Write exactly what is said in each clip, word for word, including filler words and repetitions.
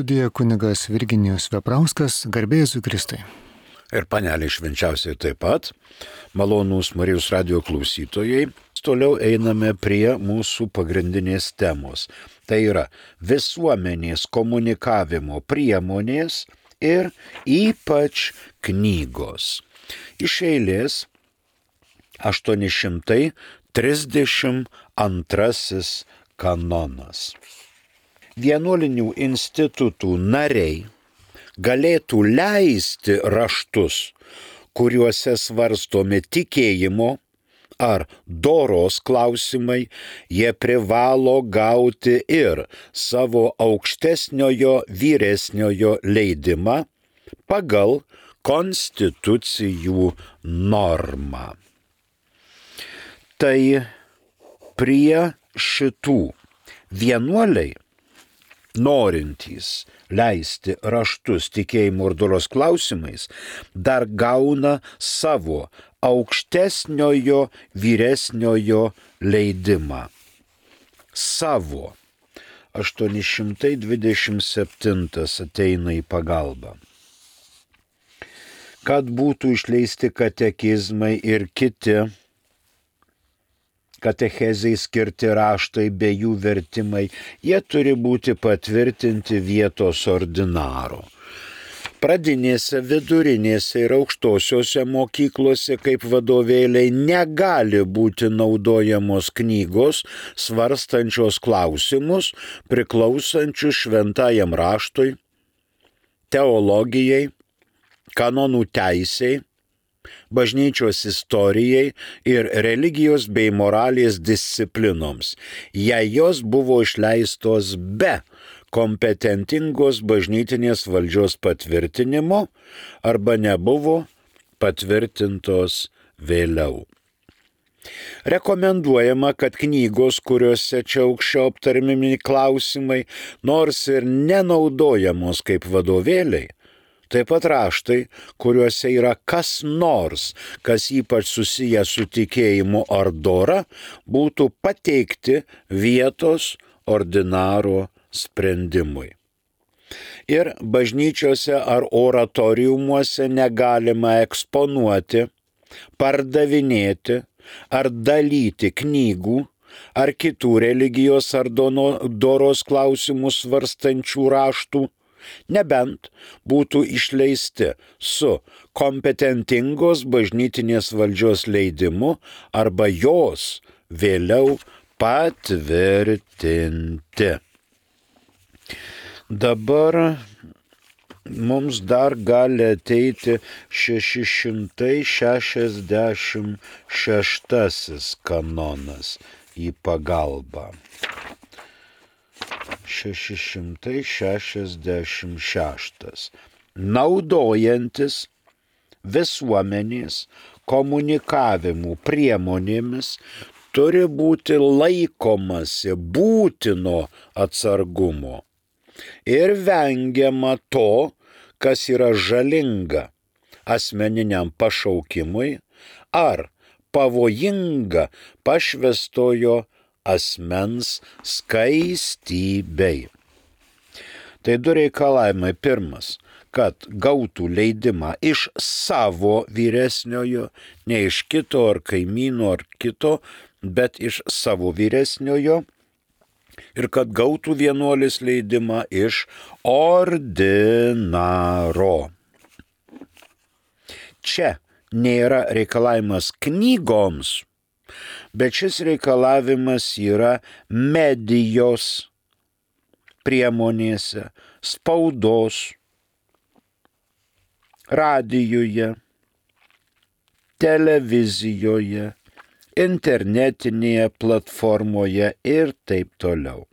studijoje kunigas Virginijus Veprauskas, garbė Jėzui Kristui. Ir paneliai švenčiausiai taip pat, malonūs Marijos radijo klausytojai, toliau einame prie mūsų pagrindinės temos. Tai yra visuomenės komunikavimo priemonės ir ypač knygos. Iš eilės aštuoni šimtai trisdešimt antrasis kanonas. Vienuolinių institutų nariai galėtų leisti raštus, kuriuose svarstomi tikėjimo ar doros klausimai, jie privalo gauti ir savo aukštesniojo vyresniojo leidimą pagal konstitucijų normą. Tai prie šitų vienuoliai, norintys leisti raštus tikėjimo ir doros klausimais, dar gauna savo aukštesniojo vyresniojo leidimą. Savo. aštuoni šimtai dvidešimt septintas ateina į pagalbą. Kad būtų išleisti katekizmai ir kiti katechezei skirti raštai bei jų vertimai, jie turi būti patvirtinti vietos ordinaro. Pradinėse, vidurinėse ir aukštosiose mokyklose kaip vadovėliai negali būti naudojamos knygos svarstančios klausimus priklausančius šventajam raštui, teologijai, kanonų teisei, bažnyčios istorijai ir religijos bei moralės disciplinoms, jei jos buvo išleistos be kompetentingos bažnytinės valdžios patvirtinimo arba nebuvo patvirtintos vėliau. Rekomenduojama, kad knygos, kuriuose čia aukščiau aptarmimi klausimai, nors ir nenaudojamos kaip vadovėliai, taip pat raštai, kuriuose yra kas nors, kas ypač susiję su tikėjimu ar dora, būtų pateikti vietos ordinaro sprendimui. Ir bažnyčiose ar oratoriumuose negalima eksponuoti, pardavinėti ar dalyti knygų ar kitų religijos ar doros klausimus svarstančių raštų, nebent būtų išleisti su kompetentingos bažnytinės valdžios leidimu arba jos vėliau patvirtinti. Dabar mums dar gali ateiti šeši šimtai šešiasdešimt šeštasis kanonas į pagalbą. šeši šimtai šešiasdešimt šeštas. Naudojantis visuomenės komunikavimų priemonėmis turi būti laikomasi būtino atsargumo ir vengiama to, kas yra žalinga asmeniniam pašaukimui ar pavojinga pašvęstojo asmens skaistybei. Tai du reikalavimai. Pirmas, kad gautų leidimą iš savo vyresniojo, ne iš kito ar kaimyno ar kito, bet iš savo vyresniojo, ir kad gautų vienuolis leidimą iš ordinaro. Čia nėra reikalavimas knygoms, bet šis reikalavimas yra medijos priemonėse, spaudos, radijuje, televizijoje, internetinėje platformoje ir taip toliau.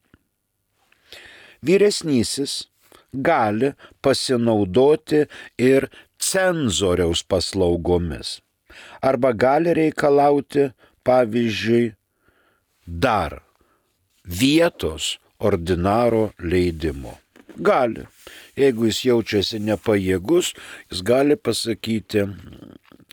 Vyresnysis gali pasinaudoti ir cenzoriaus paslaugomis arba gali reikalauti, pavyzdžiui, dar vietos ordinaro leidimo. Gali. Jeigu jis jaučiasi nepajėgus, jis gali pasakyti,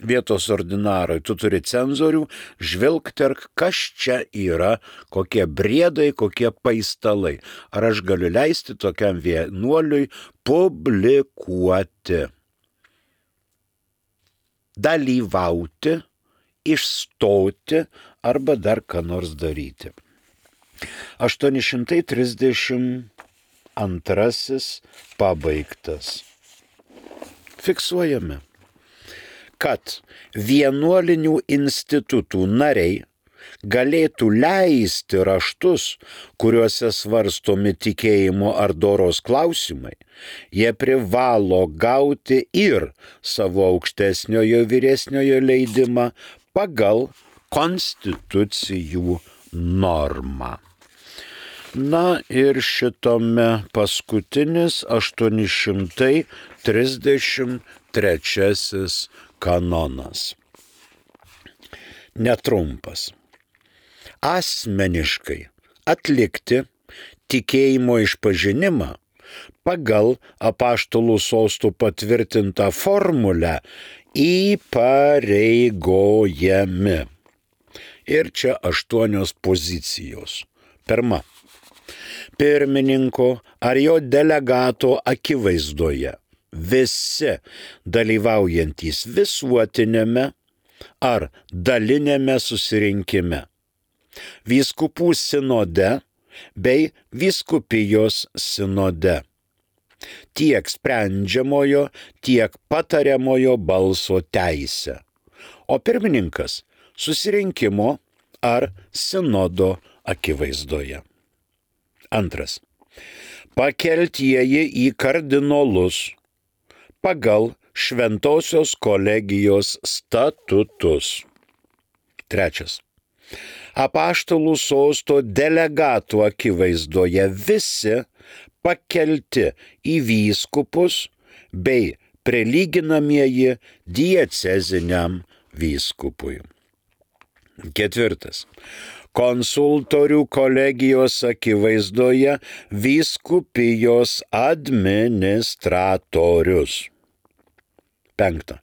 vietos ordinarai, tu turi cenzorių, žvilgterk, kas čia yra, kokie briedai, kokie paistalai. Ar aš galiu leisti tokiam vienuoliui publikuoti, dalyvauti, išstoti arba dar ką nors daryti. aštuoni šimtai trisdešimt antrasis pabaigtas. Fiksuojame, kad vienuolinių institutų nariai galėtų leisti raštus, kuriuose svarstomi tikėjimo ar doros klausimai, jie privalo gauti ir savo aukštesniojo vyresniojo leidimą pagal konstitucijų normą. Na ir šitome paskutinis aštuoni šimtai trisdešimt trečiasis kanonas. Netrumpas. Asmeniškai atlikti tikėjimo išpažinimą pagal apaštalų sostų patvirtintą formulę įpareigojami. Ir čia aštuonios pozicijos. Pirma. Pirmininko ar jo delegato akivaizdoje visi dalyvaujantys visuotinėme ar dalinėme susirinkime, vyskupų sinode bei vyskupijos sinode, tiek sprendžiamojo, tiek patariamojo balso teisę, o pirmininkas susirinkimo ar sinodo akivaizdoje. Antras. Pakeltieji į kardinolus pagal Šventosios kolegijos statutus. Trečias. Apaštalų sosto delegatų akivaizdoje visi pakelti į vyskupus bei prilyginamieji dieceziniam vyskupui. Ketvirtas. Konsultorių kolegijos akivaizdoje vyskupijos administratorius. Penkta.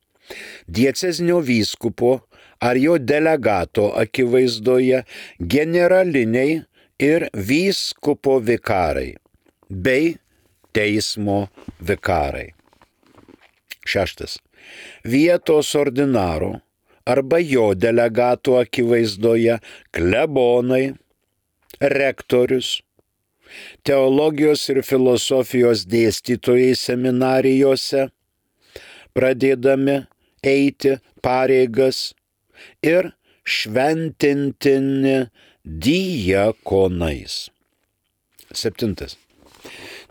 Diecezinio vyskupo ar jo delegato akivaizdoje generaliniai ir vyskupo vikarai bei teismo vikarai. Šeštas. Vietos ordinaro arba jo delegato akivaizdoje klebonai, rektorius, teologijos ir filosofijos dėstytojai seminarijose, pradėdami eiti pareigas ir šventintini diakonais. Septintas.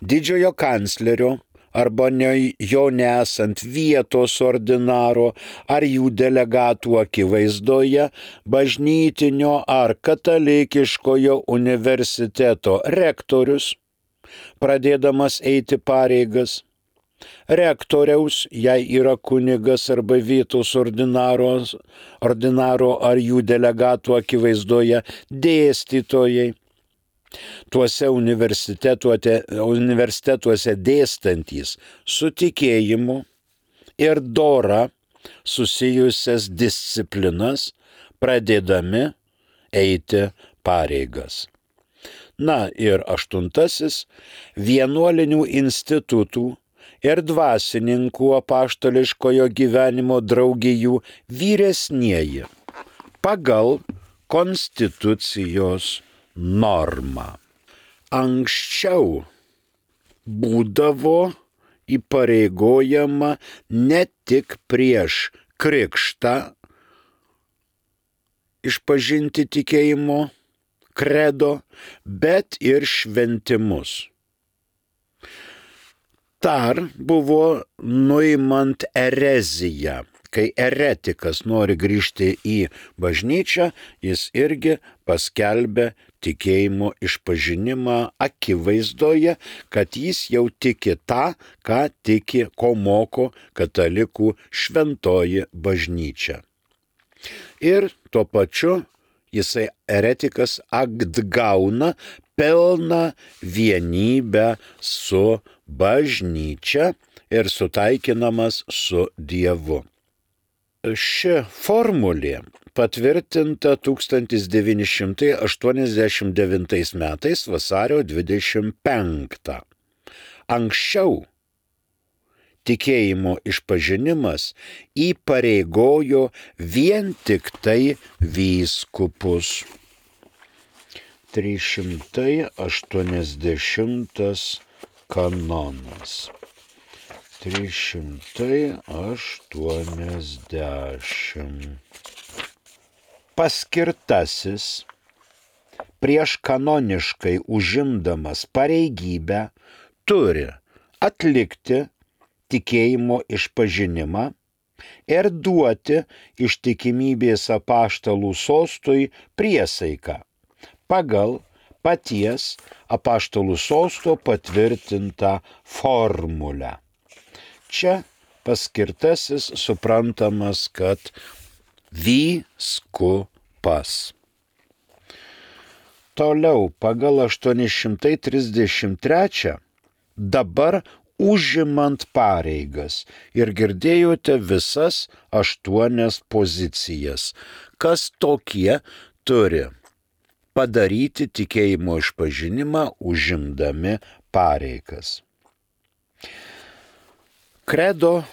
Didžiojo kanclerio arba ne, jo nesant vietos ordinaro ar jų delegatų akivaizdoje bažnytinio ar katalikiškojo universiteto rektorius, pradėdamas eiti pareigas, rektoriaus, jei yra kunigas arba vietos ordinaro, ordinaro ar jų delegatų akivaizdoje dėstytojai, tuose universitetuose, universitetuose dėstantys su tikėjimu ir dora susijusias disciplinas, pradėdami eiti pareigas. Na ir aštuntasis, vienuolinių institutų ir dvasininkų apaštališkojo gyvenimo draugijų vyresnieji pagal konstitucijos norma. Anksčiau būdavo įpareigojama ne tik prieš krikštą išpažinti tikėjimo kredo, bet ir šventimus. Dar buvo nuimant ereziją. Kai eretikas nori grįžti į bažnyčią, jis irgi paskelbė tikėjimo išpažinimą akivaizdoje, kad jis jau tiki tą, ką tiki, ko moko katalikų šventoji bažnyčia. Ir tuo pačiu jisai eretikas atgauna pilną vienybę su bažnyčia. bažnyčia ir sutaikinamas su Dievu. ši formulė patvirtinta tūkstantis devyni šimtai aštuoniasdešimt devintais metais vasario dvidešimt penktą. Anksčiau tikėjimo išpažinimas įpareigojo vien tik tai vyskupus. trys šimtai aštuoniasdešimtas kanonas. trys šimtai aštuoniasdešimt. Paskirtasis prieš kanoniškai užimdamas pareigybę turi atlikti tikėjimo išpažinimą ir duoti ištikimybės apaštalų sostui priesaiką pagal paties apaštalų sosto patvirtintą formulę. Čia paskirtasis suprantamas, kad vyskupas. Toliau pagal aštuoni šimtai trisdešimt trečią dabar užimant pareigas ir girdėjote visas aštuonias pozicijas, kas tokie turi padaryti tikėjimo išpažinimą užimdami pareigas. Kredo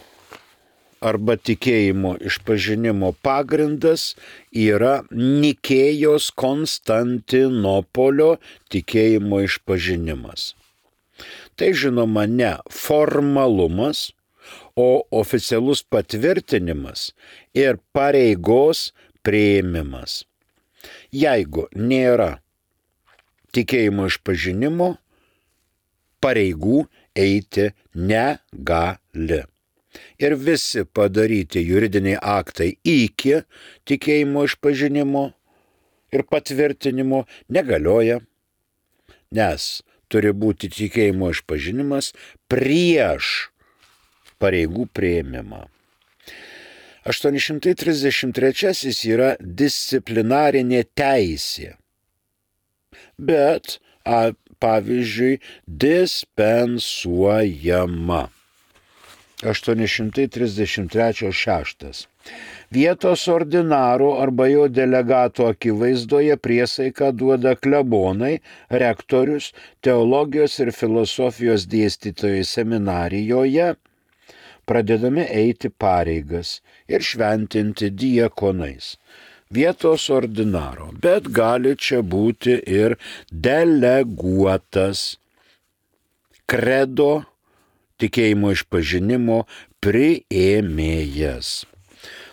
arba tikėjimo išpažinimo pagrindas yra Nikėjos Konstantinopolio tikėjimo išpažinimas. Tai žinoma ne formalumas, o oficialus patvirtinimas ir pareigos priėmimas. Jeigu nėra tikėjimo išpažinimo, pareigų eiti negali. Ir visi padaryti juridiniai aktai iki tikėjimo išpažinimo ir patvirtinimo negalioja, nes turi būti tikėjimo išpažinimas prieš pareigų priėmimą. aštuoni šimtai trisdešimt trečiasis yra disciplinarinė teisė, bet a, pavyzdžiui dispensuojama. aštuoni šimtai trisdešimt trečias šeštas. Vietos ordinaro arba jo delegato akivaizdoje priesaiką duoda klebonai, rektorius, teologijos ir filosofijos dėstytojai seminarijoje, pradedami eiti pareigas ir šventinti diakonais. Vietos ordinaro, bet gali čia būti ir deleguotas kredo tikėjimo išpažinimo priėmėjas.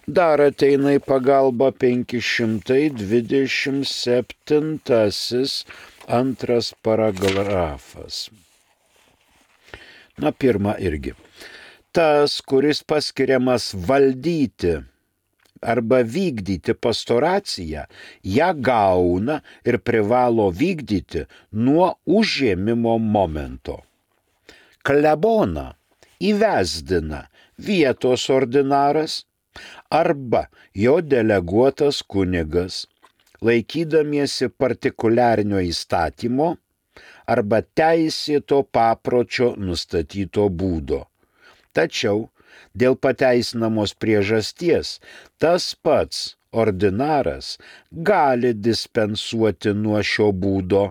Dar ateina į pagalbą penki šimtai dvidešimt septintasis antras paragrafas. Na, pirma irgi. Tas, kuris paskiriamas valdyti arba vykdyti pastoraciją, ją gauna ir privalo vykdyti nuo užėmimo momento. Kleboną įvesdina vietos ordinaras arba jo deleguotas kunigas, laikydamiesi partikuliarinio įstatymo arba teisėto papročio nustatyto būdo. Tačiau dėl pateisinamos priežasties tas pats ordinaras gali dispensuoti nuo šio būdo.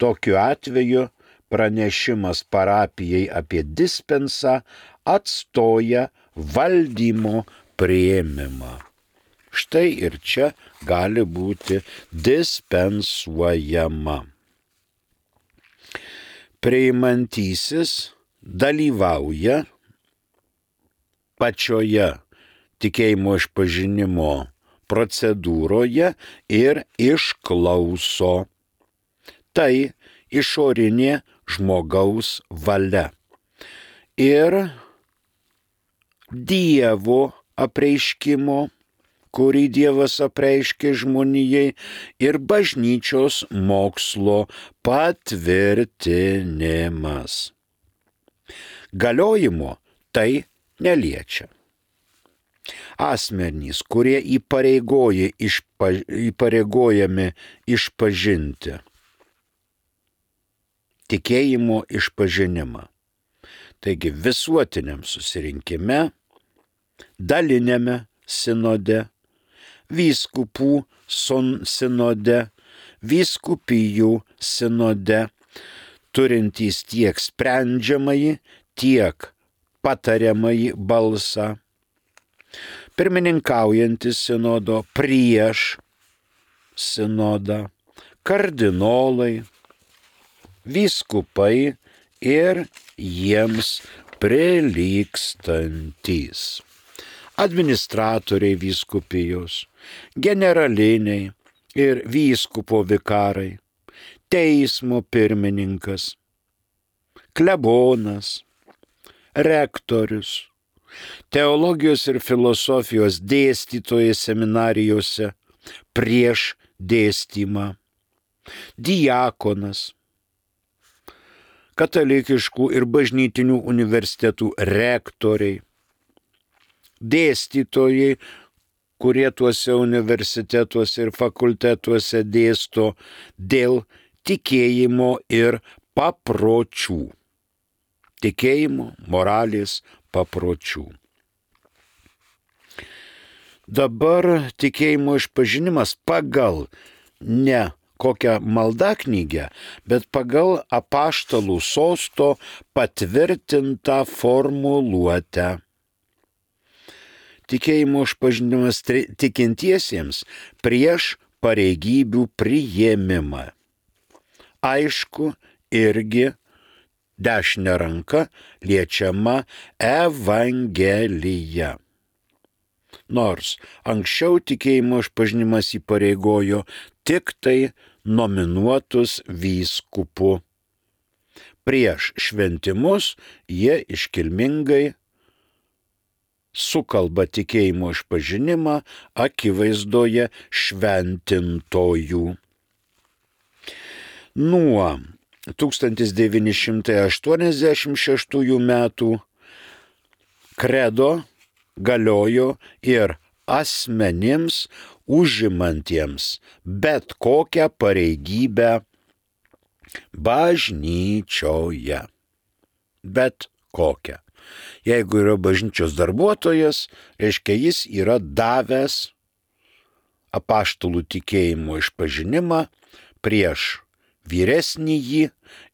Tokiu atveju pranešimas parapijai apie dispensą atstoja valdymo priėmimą. Štai ir čia gali būti dispensuojama. Priimantysis dalyvauja pačioje tikėjimo išpažinimo procedūroje ir išklauso. Tai išorinė žmogaus valia. Ir Dievo apreiškimo, kurį Dievas apreiškė žmonijai, ir bažnyčios mokslo patvirtinimas. Galiojimo tai neliečia. Asmenys, kurie įpareigoja išpa, įpareigojami išpažinti tikėjimo išpažinimą. Taigi visuotiniam susirinkime dalinėme sinode, vyskupų sinode, vyskupijų sinode, turintys tiek sprendžiamąjį, tiek patariamąjį balsą, pirmininkaujantis sinodo prieš sinodą, kardinolai, vyskupai ir jiems prilygstantys, administratoriai vyskupijos, generaliniai ir vyskupo vikarai, teismo pirmininkas, klebonas, rektorius, teologijos ir filosofijos dėstytojai seminarijose prieš dėstymą, diakonas, katalikiškų ir bažnytinių universitetų rektoriai, dėstytojai, kurie tuose universitetuose ir fakultetuose dėsto dėl tikėjimo ir papročių. Tikėjimo, moralės, papročių. Dabar tikėjimo išpažinimas pagal ne kokią maldaknygę, bet pagal apaštalų sosto patvirtintą formuluotę. Tikėjimo išpažinimas tikintiesiems prieš pareigybių priėmimą. Aišku, irgi dešinė ranka liečiama Evangelija. Nors anksčiau tikėjimo išpažinimas įpareigojo tik tai nominuotus vyskupu. Prieš šventimus jie iškilmingai sukalba tikėjimo išpažinimą akivaizdoje šventintojų. Nuo tūkstantis devyni šimtai aštuoniasdešimt šeštųjų metų kredo galiojo ir asmenims užimantiems bet kokią pareigybę bažnyčioje. Bet kokią. Jeigu yra bažnyčios darbuotojas, reiškia jis yra davęs apaštalų tikėjimo išpažinimą prieš vyresnįjį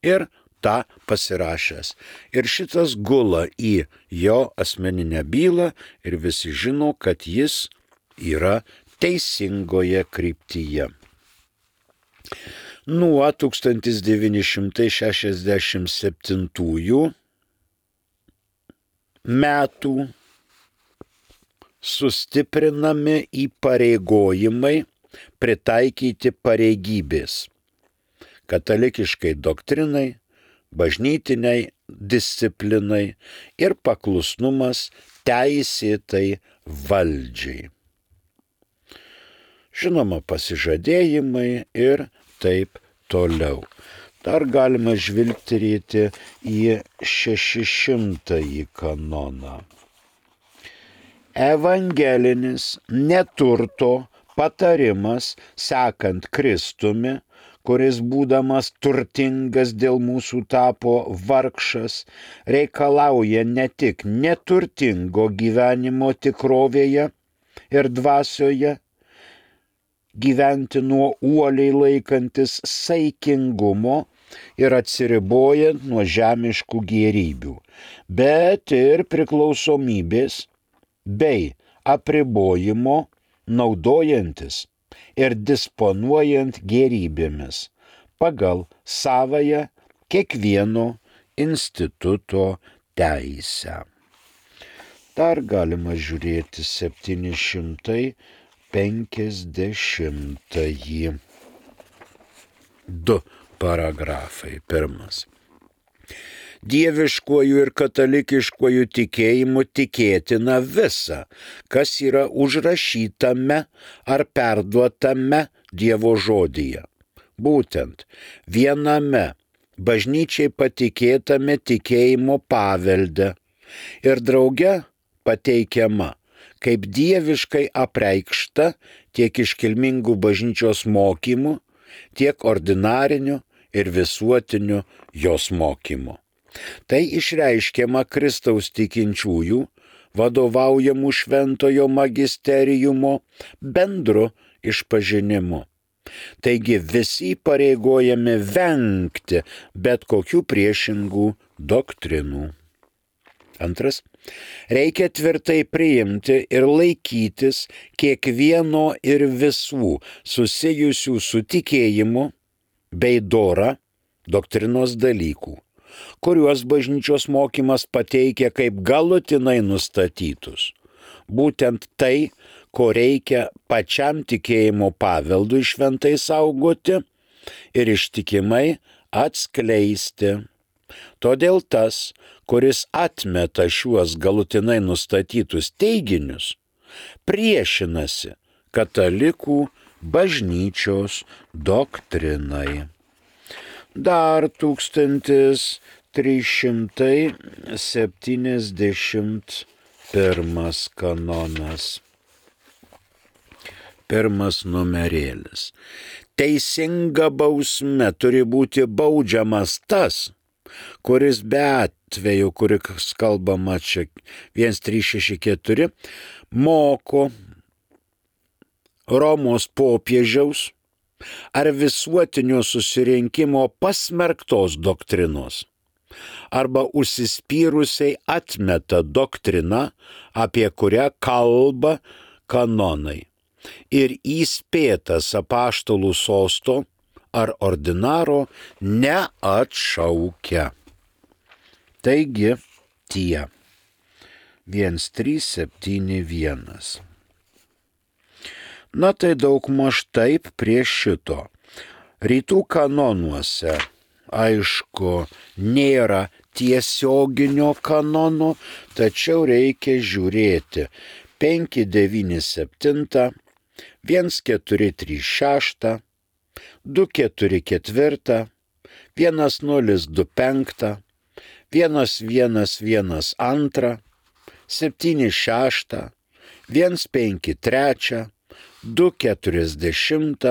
ir tą pasirašęs. Ir šitas gula į jo asmeninę bylą ir visi žino, kad jis yra teisingoje kryptyje. Nuo tūkstantis devyni šimtai šešiasdešimt septintųjų metų sustiprinami įpareigojimai pritaikyti pareigybės katalikiškai doktrinai, bažnytiniai disciplinai ir paklusnumas teisėtai valdžiai. Žinoma, pasižadėjimai ir taip toliau. Dar galima žvilgterėti į šešišimtąjį kanoną. Evangelinis neturto patarimas sekant Kristumi, kuris būdamas turtingas dėl mūsų tapo vargšas, reikalauja ne tik neturtingo gyvenimo tikrovėje ir dvasioje, gyventi nuo uoliai laikantis saikingumo ir atsiribojant nuo žemiškų gėrybių, bet ir priklausomybės bei apribojimo naudojantis ir disponuojant gėrybėmis pagal savąją kiekvieno instituto teisę. Dar galima žiūrėti septyni šimtai penkiasdešimtąjį. Du paragrafai. Pirmas. Dieviškuoju ir katalikiškuoju tikėjimu tikėtina visa, kas yra užrašytame ar perduotame Dievo žodyje. Būtent viename bažnyčiai patikėtame tikėjimo pavelde ir drauge pateikiama kaip dieviškai apreikšta tiek iškilmingų bažnyčios mokymų, tiek ordinarinių ir visuotinių jos mokymų. Tai išreiškiama Kristaus tikinčiųjų vadovaujamų šventojo magisteriumo bendru išpažinimu. Taigi visi pareigojami vengti bet kokių priešingų doktrinų. Antras. Reikia tvirtai priimti ir laikytis kiekvieno ir visų susijusių su tikėjimu bei dora doktrinos dalykų, kuriuos bažnyčios mokymas pateikia kaip galutinai nustatytus. Būtent tai, ko reikia pačiam tikėjimo paveldui šventai saugoti ir ištikimai atskleisti. Todėl tas, kuris atmeta šiuos galutinai nustatytus teiginius, priešinasi katalikų bažnyčios doktrinai. Dar tūkstantis trys šimtai septyniasdešimt pirmas kanonas. Pirmas numerėlis. Teisinga bausme turi būti baudžiamas tas, kuris be atveju, kuris kalbama čia vienas trys šeši keturi, moko Romos popiežiaus ar visuotinio susirinkimo pasmerktos doktrinos, arba užsispyrusiai atmeta doktriną, apie kurią kalba kanonai, ir įspėtas apaštalų sosto ar ordinaro neatšaukia. Taigi tie. vienas trys septyni vienas. Na tai daugmaž taip prie šito. Rytų kanonuose, aišku, nėra tiesioginio kanono, tačiau reikia žiūrėti penki devyni septyni, vienas keturi trys šeši, du keturi keturi, vienas nulis du penki, vienas vienas vienas du, septyni šeši, vienas penki trys, du keturiasdešimt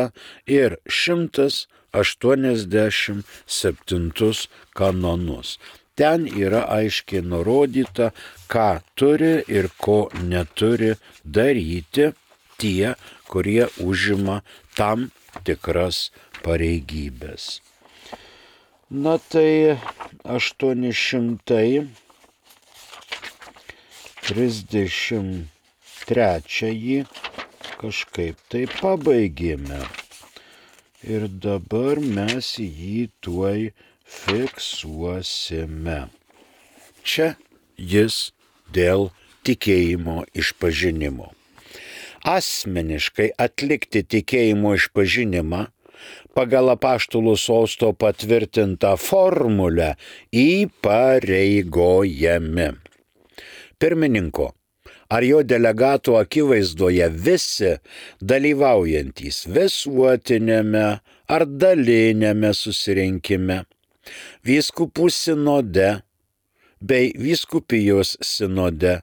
ir šimtas aštuoniasdešimt septintus kanonus. Ten yra aiškiai nurodyta, ką turi ir ko neturi daryti tie, kurie užima tam tikras pareigybės. Na tai aštuoni šimtai trisdešimt trečiąjį kažkaip tai pabaigėme. Ir dabar mes jį tuoj fiksuosime. Čia jis dėl tikėjimo išpažinimo. Asmeniškai atlikti tikėjimo išpažinimą pagal apaštalų sosto patvirtintą formulę įpareigojami pirmininko ar jo delegatų akivaizdoje visi dalyvaujantys visuotinėme ar dalinėme susirinkime, vyskupų sinode bei vyskupijos sinode,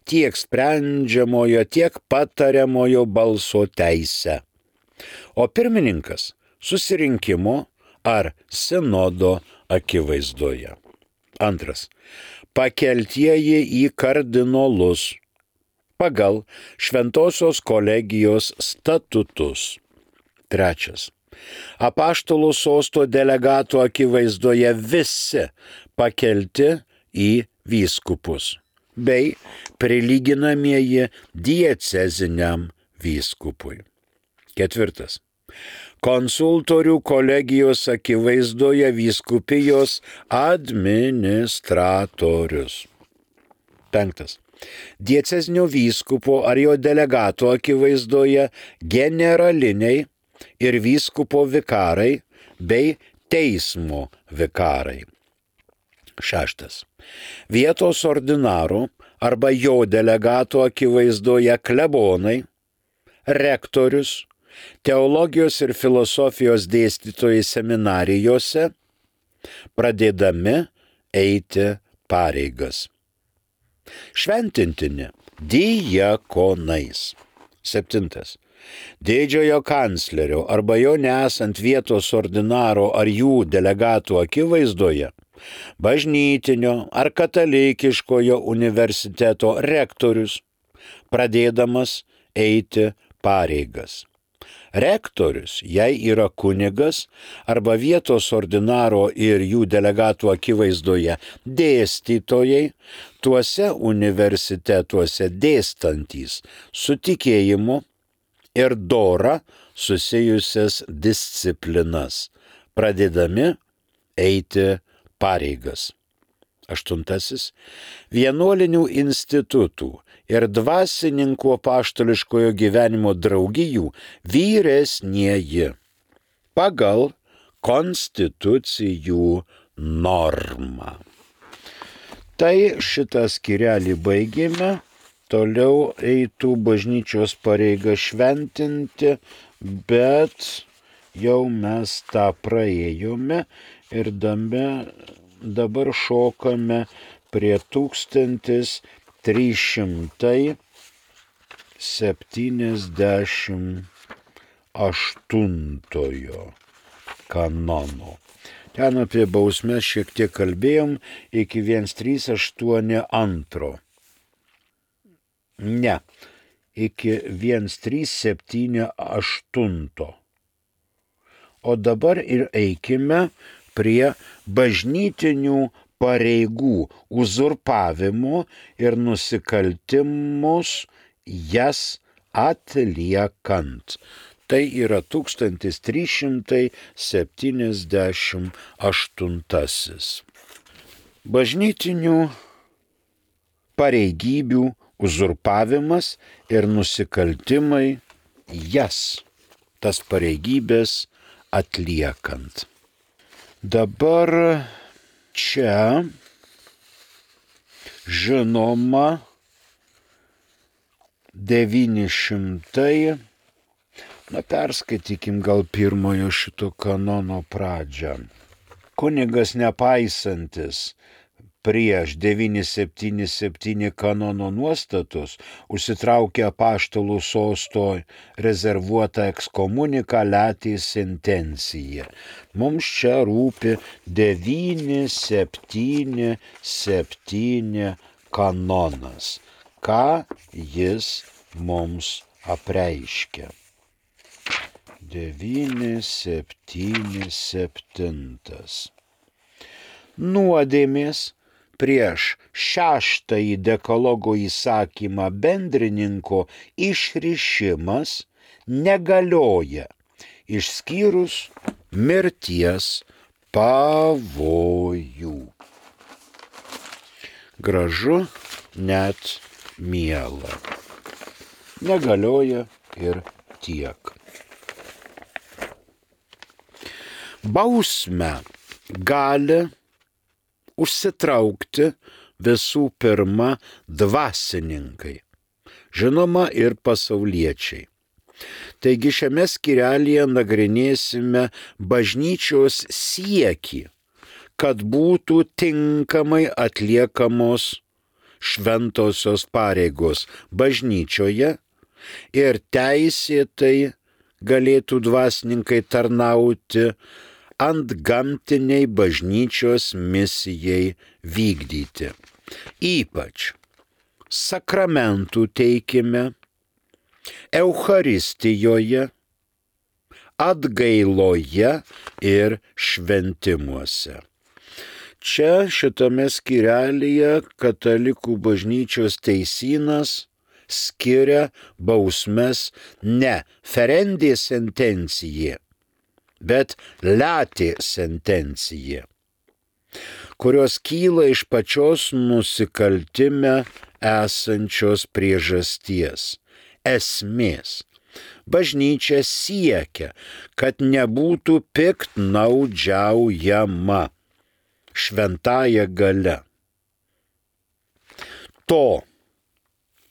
tiek sprendžiamojo, tiek patariamojo balso teisę. O pirmininkas susirinkimo ar sinodo akivaizdoje. Antras. Pakeltieji į kardinolus pagal Šventosios kolegijos statutus. Trečias. Apaštalų sosto delegatų akivaizdoje visi pakelti į vyskupus bei prilyginamieji dieceziniam vyskupui. Ketvirtas. Konsultorių kolegijos akivaizdoje vyskupijos administratorius. Penktas. Diecezinio vyskupo ar jo delegato akivaizdoje generaliniai ir vyskupo vikarai bei teismo vikarai. Šeštas. Vietos ordinaro arba jo delegato akivaizdoje klebonai, rektorius, teologijos ir filosofijos dėstytojai seminarijose, pradėdami eiti pareigas. Šventintini diakonais. Septintas. Didžiojo kanclerio arba jo nesant vietos ordinaro ar jų delegatų akivaizdoje bažnytinio ar katalikiškojo universiteto rektorius, pradėdamas eiti pareigas. Rektorius, jei yra kunigas arba vietos ordinaro ir jų delegatų akivaizdoje dėstytojai, tuose universitetuose dėstantys su tikėjimu ir dora susijusias disciplinas, pradėdami eiti pareigas. Aštuntasis. Vienuolinių institutų ir dvasininkų apaštališkojo gyvenimo draugijų vyresnieji pagal konstitucijų normą. Tai šitą skyrelį baigėme, toliau eitų bažnyčios pareiga šventinti, bet jau mes tą praėjome ir dame dabar šokame prie tūkstantis trys šimtai septyniasdešimt aštuntojo kanono. Ten apie bausmes šiek tiek kalbėjom iki vienas trys aštuoni antro. Ne, iki vienas trys septyni aštunto. O dabar ir eikime prie bažnytinių pareigų uzurpavimo ir nusikaltimus jas atliekant. Tai yra tūkstantis trys šimtai septyniasdešimt aštuntasis. Bažnytinių pareigybių uzurpavimas ir nusikaltimai jas, tas pareigybės atliekant. Dabar čia žinoma devyni šimtai, na perskaitykim gal pirmojo šito kanono pradžią. Kunigas nepaisantis prieš devyni septyni septyni kanono nuostatus užsitraukė apaštalų sosto rezervuotą ekskomuniką letį sentenciją. Mums čia rūpi devyni septyni septyni kanonas. Ką jis mums apreiškia? devyni septyni septyni. Nuodėmės prieš šeštąjį dekalogo įsakymą bendrininko išrišimas negalioja, išskyrus mirties pavojų. Gražu, net miela. Negalioja ir tiek. Bausmę gali užsitraukti visų pirma dvasininkai, žinoma ir pasauliečiai. Taigi šiame skyrelyje nagrinėsime bažnyčios siekį, kad būtų tinkamai atliekamos šventosios pareigos bažnyčioje ir teisėtai galėtų dvasininkai tarnauti antgamtiniai bažnyčios misijai vykdyti. Ypač sakramentų teikime, Eucharistijoje, atgailoje ir šventimuose. Čia šitame skyrelyje katalikų bažnyčios teisynas skiria bausmes ne ferendė sentencija, bet letė sentencija, kurios kyla iš pačios nusikaltime esančios priežasties, esmės. Bažnyčia siekia, kad nebūtų piktnaudžiaujama šventąja galia. To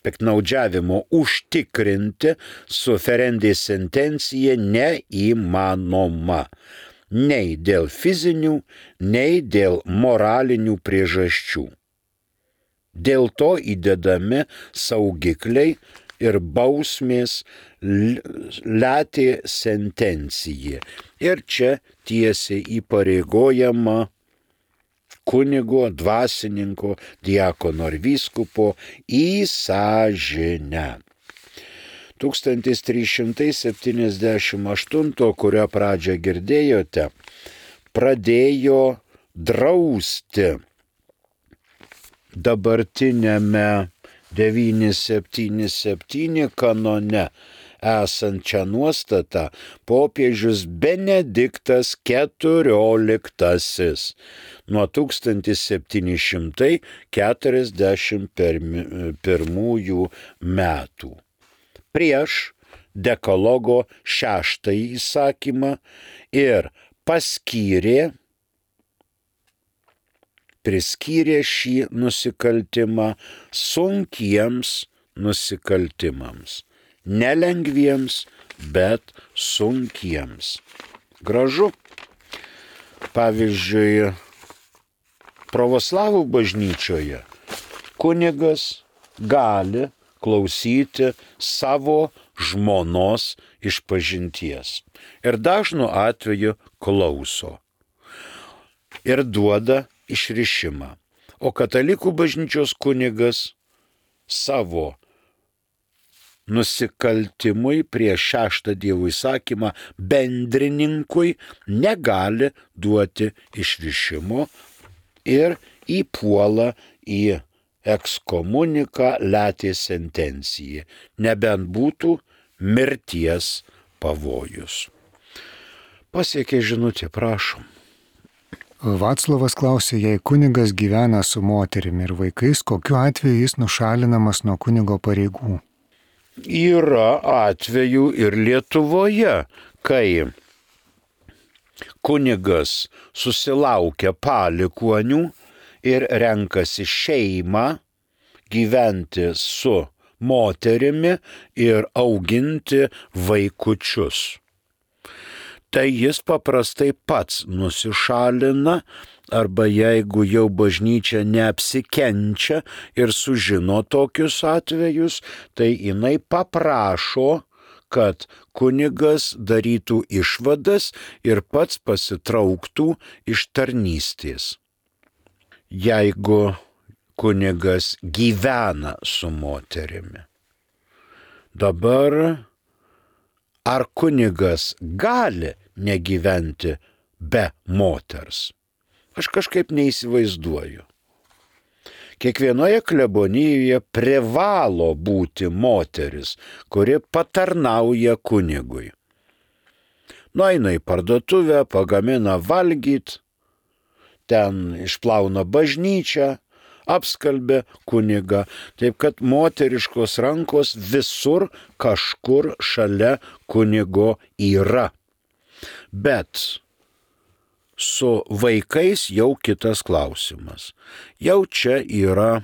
piktnaudžiavimo užtikrinti su ferendė sentencija neįmanoma. Nei dėl fizinių, nei dėl moralinių priežasčių. Dėl to įdedami saugikliai ir bausmės letė sentencija. Ir čia tiesiai įpareigojama kunigo, dvasininko, diakono ar vyskupo į sąžinę. tūkstantis trys šimtai septyniasdešimt aštunto, kurio pradžią girdėjote, pradėjo drausti dabartinėme devyni septyni septyni kanone esančią nuostatą popiežius Benediktas keturioliktasis nuo tūkstantis septyni šimtai keturiasdešimt pirmųjų metų. Prieš dekalogo šeštąjį įsakymą ir paskyrė, priskyrė šį nusikaltimą sunkiems nusikaltimams. Nelengviems, bet sunkiems. Gražu. Pavyzdžiui, pravoslavų bažnyčioje kunigas gali klausyti savo žmonos išpažinties. Ir dažnu atveju klauso. Ir duoda išrišimą. O katalikų bažnyčios kunigas savo nusikaltimui prieš šeštą Dievo įsakymą bendrininkui negali duoti išrišimo ir įpuola į ekskomuniką letė sentenciją, nebent būtų mirties pavojus. Pasiekė žinutė, prašom. Vaclovas klausė, jei kunigas gyvena su moterimi ir vaikais, kokiu atveju jis nušalinamas nuo kunigo pareigų? Yra atvejų ir Lietuvoje, kai kunigas susilaukia palikuonių ir renkasi šeimą gyventi su moterimi ir auginti vaikučius. Tai jis paprastai pats nusišalina, arba jeigu jau bažnyčia neapsikenčia ir sužino tokius atvejus, tai jinai paprašo, kad kunigas darytų išvadas ir pats pasitrauktų iš tarnystės. Jeigu kunigas gyvena su moterimi. Dabar ar kunigas gali negyventi be moters? Aš kažkaip neįsivaizduoju. Kiekvienoje klebonijoje privalo būti moteris, kuri patarnauja kunigui. Nueina į parduotuvę, pagamina valgyt, ten išplauna bažnyčią, apskalbė kunigą, taip kad moteriškos rankos visur kažkur šalia kunigo yra. Bet su vaikais jau kitas klausimas. Jau čia yra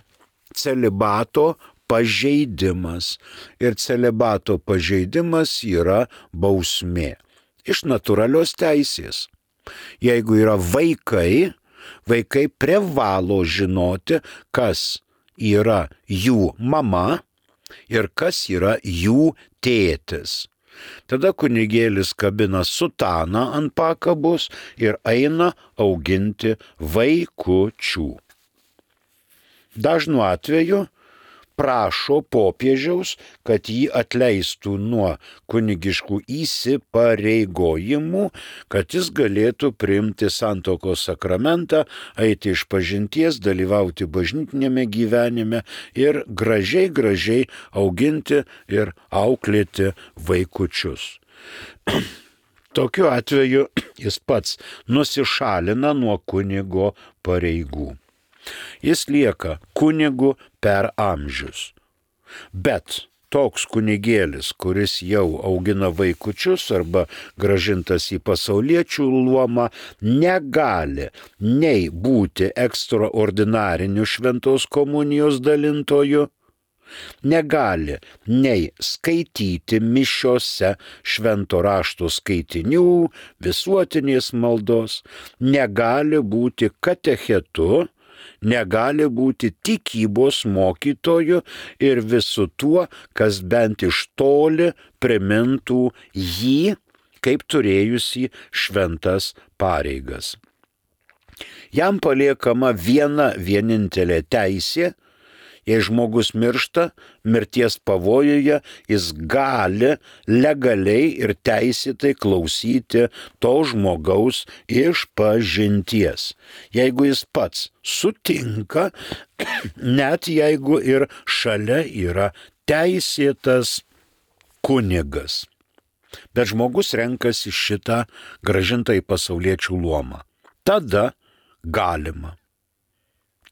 celibato pažeidimas. Ir celibato pažeidimas yra bausmė. Iš natūralios teisės. Jeigu yra vaikai, vaikai privalo žinoti, kas yra jų mama ir kas yra jų tėtis. Tada kunigėlis kabina sutaną ant pakabos ir eina auginti vaikučių. Dažnu atveju prašo popiežiaus, kad jį atleistų nuo kunigiškų įsipareigojimų, kad jis galėtų priimti santuokos sakramentą, eiti išpažinties, dalyvauti bažnytinėme gyvenime ir gražiai, gražiai auginti ir auklėti vaikučius. Tokiu atveju jis pats nusišalina nuo kunigo pareigų. Jis lieka kunigu per amžius. Bet toks kunigėlis, kuris jau augina vaikučius arba grąžintas į pasauliečių luomą, negali nei būti ekstraordinariniu šventos komunijos dalintoju, negali nei skaityti mišiose švento rašto skaitinių, visuotinės maldos, negali būti katechetu, negali būti tikybos mokytoju ir visu tuo, kas bent iš toli primintų jį kaip turėjusi šventas pareigas. Jam paliekama viena vienintelė teisė. Jei žmogus miršta, mirties pavojuje, jis gali legaliai ir teisėtai klausyti to žmogaus išpažinties. Jeigu jis pats sutinka, net jeigu ir šalia yra teisėtas kunigas. Bet žmogus renkasi šitą grąžintą į pasauliečių luomą. Tada galima.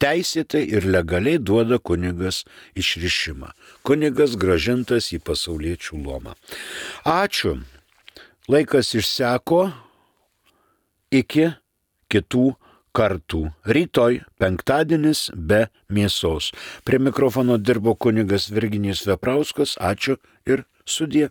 Teisėtai ir legaliai duoda kunigas išrišimą. Kunigas grąžintas į pasauliečių luomą. Ačiū. Laikas išseko. Iki kitų kartų. Rytoj penktadienis be mėsos. Prie mikrofono dirbo kunigas Virginijus Veprauskas. Ačiū ir sudie.